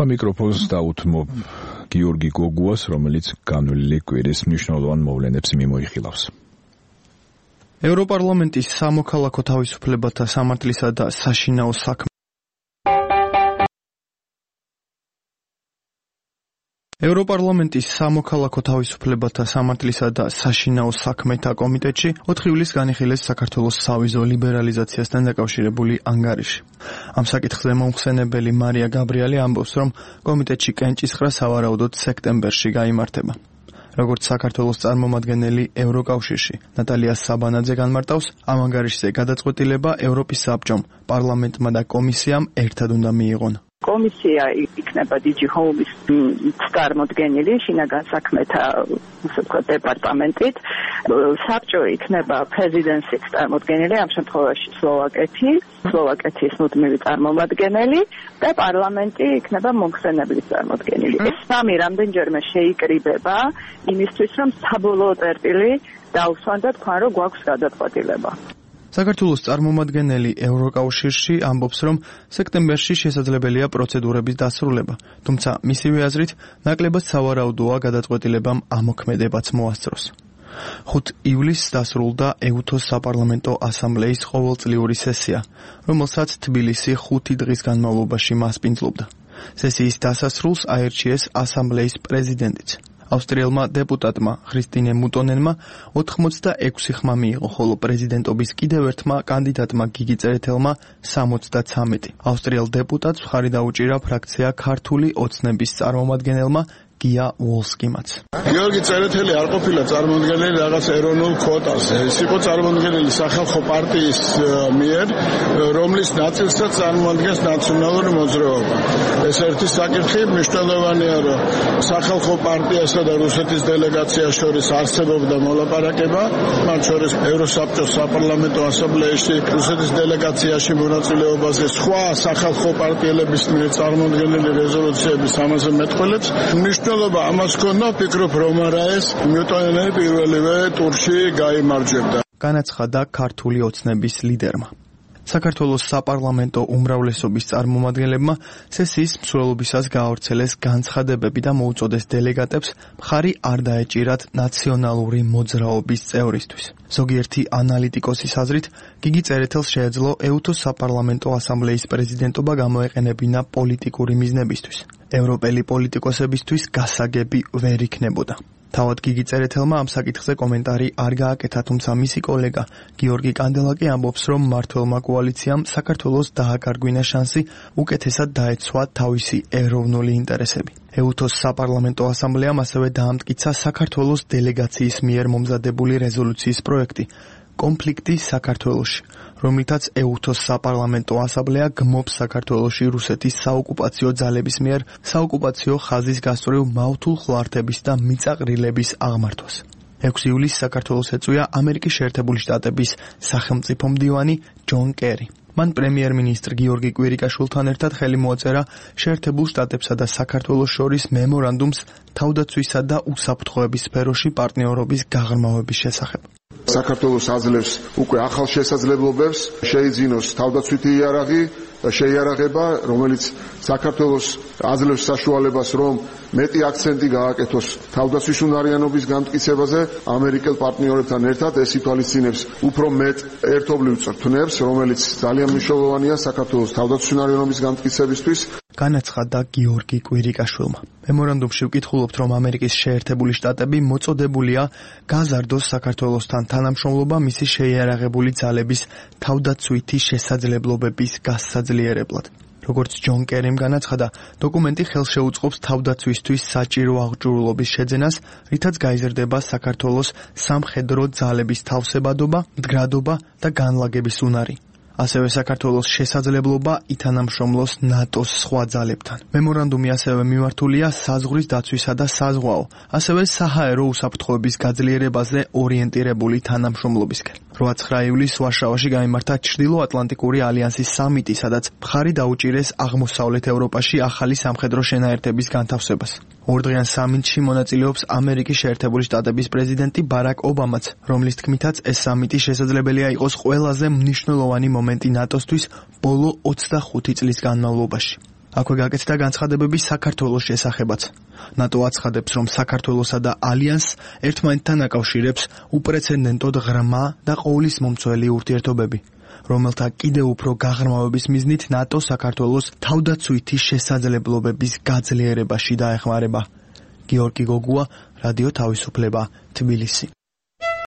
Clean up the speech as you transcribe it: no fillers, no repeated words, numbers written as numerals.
მიკროფონს დაუთმობ გიორგი გოგუას, რომელიც განვლილი კვირის მნიშვნელოვან მოვლენებს მიმოიხილავს. ევროპარლამენტის სამოქალაქო თავისუფლებათა სამართლისა და საშინაო საქმეთა ევროპარლამენტის სამოქალაქო თავისუფლებათა სამართლისა და საშინაო საქმეთა კომიტეტში 4 ივლისს განიხილეს საქართველოს სავიზო ლიბერალიზაციასთან დაკავშირებული ანგარიში. ამ საკითხზე მომხსენებელი მარია გაბრიელი ამბობს, რომ კომიტეტში კენჭისყრა სავარაუდოდ სექტემბერში გაიმართება. როგორც საქართველოს წარმომადგენელი ევროკავშირში ნატალია საბანაძე განმარტავს, ამ ანგარიშზე გადაწყვეტილება ევროპის საბჭომ, პარლამენტმა და კომისიამ ერთად უნდა მიიღონ. კომისია იქნება DG Home-ის წარმომადგენელი შინაგან საქმეთა დეპარტამენტით, საბჭო იქნება პრეზიდენციის წარმომადგენელი, ამ შემთხვევაში სლოვაკეთის მუდმივი წარმომადგენელი და პარლამენტი იქნება მომხსენებლის წარმომადგენელი. ეს სამი რამდენჯერმე შეიკრიბება იმისთვის, რომ საბოლოო წერტილი დაუსვან და თქვან, რომ გვაქვს გადაწყვეტილება. საქართველოს წარმომადგენელი ევროკავშირში ამბობს, რომ სექტემბერში შესაძლებელია პროცედურების დასრულება, თუმცა მისივე აზრით, ნაკლებად სავარაუდოა გადაწყვეტილებამ ამოქმედებაც მოასწროს. 5 ივლისს დასრულდა ეუთოს საპარლამენტო ასამბლეის ყოველწლიური სესია, რომელსაც თბილისი 5 დღის განმავლობაში მასპინძლობდა. სესიის დასასრულს აერჩიეს ასამბლეის პრეზიდენტიც. ავსტრიელმა დეპუტატმა ქრისტინე მუტონენმა 86 ხმა მიიღო, ხოლო პრეზიდენტობის კიდევ ერთმა კანდიდატმა გიგი წერეთელმა 73. ავსტრიელ დეპუტატს მხარი დაუჭირა ფრაქცია ქართული ოცნების წარმომადგენელმა გია ვოლსკიმაც. გიორგი წერეთელი არ ყოფილა წარმომადგენელი რაღაც ეროვნულ კვოტას. ეს იყო წარმომადგენელი სახალხო პარტიის მიერ, რომლის ნაწილსაც წარმოადგენს ნაციონალური მოძრაობა. ეს ერთი საკითხი მნიშვნელოვანია, რომ სახალხო პარტიასა და რუსეთის დელეგაციას შორის არსებობდა მოლაპარაკება, მათ შორის ევროსაბჭოს საპარლამენტო ასამბლეაში რუსეთის დელეგაციაში მონაწილეობაზე სხვა სახალხო პარტიელების მიერ წარმოდგენილი რეზოლუციების ამაზე მეტყველებს. მნიშვნელობა ამას ჰქონდა, ვფიქრობ, რომ არა ეს მუტონენი პირველივე ტურში გაიმარჯვებდა. განაცხადა ქართული ოცნების ლიდერმა. საქართველოს საპარლამენტო უმრავლესობის წარმომადგენლებმა სესიის მსვლელობისას გაავრცელეს განცხადებები და მოუწოდეს დელეგატებს მხარი არ დაეჭირათ ნაციონალური მოძრაობის წევრისთვის. ზოგიერთი ანალიტიკოსის აზრით, გიგი წერეთელს შეეძლო ეუთოს საპარლამენტო ასამბლეის პრეზიდენტობა გამოეყენებინა პოლიტიკური მიზნებისთვის. ევროპელი პოლიტიკოსებისთვის გასაგები ვერ იქნებოდა. თავად გიგი წერეთელმა ამ საკითხზე კომენტარი არ გააკეთა, თუმცა მისი კოლეგა გიორგი კანდელაკი ამბობს, რომ მმართველმა კოალიციამ საქართველოს დააკარგვინა შანსი უკეთესად დაეცვა თავისი ეროვნული ინტერესები. ეუთოს საპარლამენტო ასამბლეამ ასევე დაამტკიცა საქართველოს დელეგაციის მიერ მომზადებული რეზოლუციის პროექტი კონფლიქტი საქართველოში, რომლითაც ეუთოს საპარლამენტო ასამბლეა გმობს საქართველოში რუსეთის საოკუპაციო ძალების მიერ საოკუპაციო ხაზის გასწვრივ მავთულ ხლართების და მიწაყრილების აღმართვას. 6 ივლისს საქართველოს ეწვია ამერიკის შეერთებული შტატების სახელმწიფო მდივანი ჯონ კერი. მან პრემიერ-მინისტრ გიორგი კვირიკაშვილთან ერთად ხელი მოაწერა შეერთებულ შტატებსა და საქართველოს შორის მემორანდუმს თავდაცვისა და უსაფრთხოების სფეროში პარტნიორობის გაღრმავების შესახებ. საქართველოს აძლევს უკვე ახალ შესაძლებლობებს, შეიძინოს თავდაცვითი იარაღი და შეიარაღება, რომელიც საქართველოს აძლევს საშუალებას, რომ მეტი აქცენტი გააკეთოს თავდაცვის უნარიანობის განმტკიცებაზე. ამერიკელ პარტნიორებთან ერთად ეს ითვალისწინებს უფრო მეტ ერთობლივ წრთნებს, რომელიც ძალიან მნიშვნელოვანია საქართველოს თავდაცვის უნარიანობის განმტკიცებისთვის. განაცხადა გიორგი კვირიკაშვილმა. მემორანდუმში ვკითხულობთ, რომ ამერიკის შეერთებული შტატები მოწოდებულია გაზარდოს საქართველოსთან თანამშრომლობა მისი შეიარაღებული ძალების თავდაცვითი შესაძლებლობების გასაძლიერებლად. როგორც ჯონ კერიმ განაცხადა, დოკუმენტი ხელს შეუწყობს თავდაცვისთვის საჭირო აღჭურვილობის შეძენას, რითაც გაიზრდება საქართველოს სამხედრო ძალების თავსებადობა, მდგრადობა და განლაგების უნარი. ასევე საქართველოს შესაძლებლობა ითანამშრომლოს ნატოს სხვა ძალებთან. მემორანდუმი ასევე მიმართულია საზღვრის დაცვისა და საზღვაო, ასევე საჰაერო უსაფრთხოების გაძლიერებაზე ორიენტირებული თანამშრომლობისკენ. 8-9 ივლისს ვარშავაში გაიმართა ჩრდილო-ატლანტიკური ალიანსის სამიტი, სადაც მხარი დაუჭირეს აღმოსავლეთ ევროპაში ახალი სამხედრო შენაერთების განთავსებას. ორდღიან სამიტში მონაწილეობს ამერიკის შეერთებული შტატების პრეზიდენტი ბარაკ ობამაც, რომლის თქმითაც ეს სამიტი შესაძლებელია იყოს ყველაზე მნიშვნელოვანი მომენტი ნატოსთვის ბოლო 25 წლის განმავლობაში. აქვე გაკეთდა განცხადებები საქართველოს შესახებაც. ნატო აცხადებს, რომ საქართველოსა და ალიანსს ერთმანეთთან აკავშირებს უპრეცედენტოდ ღრმა და ყოვლის მომცველი ურთიერთობები, რომელთა კიდევ უფრო გაღრმავების მიზნით ნატო საქართველოს თავდაცვითი შესაძლებლობების გაძლიერებაში დაეხმარება. გიორგი გოგუა, რადიო თავისუფლება, თბილისი.